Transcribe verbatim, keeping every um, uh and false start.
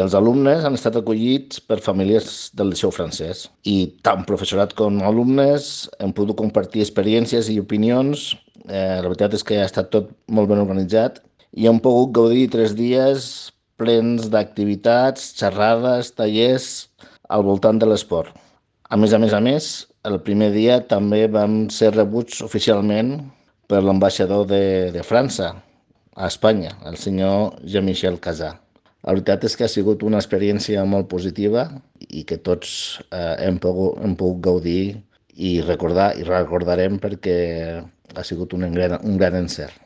Els alumnes han estat acollits per famílies del Liceu Francès i tant professorat com alumnes hem pogut compartir experiències i opinions. Eh, la veritat és que ha estat tot molt ben organitzat i hem pogut gaudir tres dies plens d'activitats, xerrades, tallers al voltant de l'esport. A més a més a més, el primer dia també vam ser rebuts oficialment per l'ambaixador de, de França a Espanya, el senyor Jean-Michel Casà. La veritat és que ha sigut una experiència molt positiva i que tots eh, hem, pogut, hem pogut gaudir i recordar i recordarem perquè ha sigut un gran, un gran encert.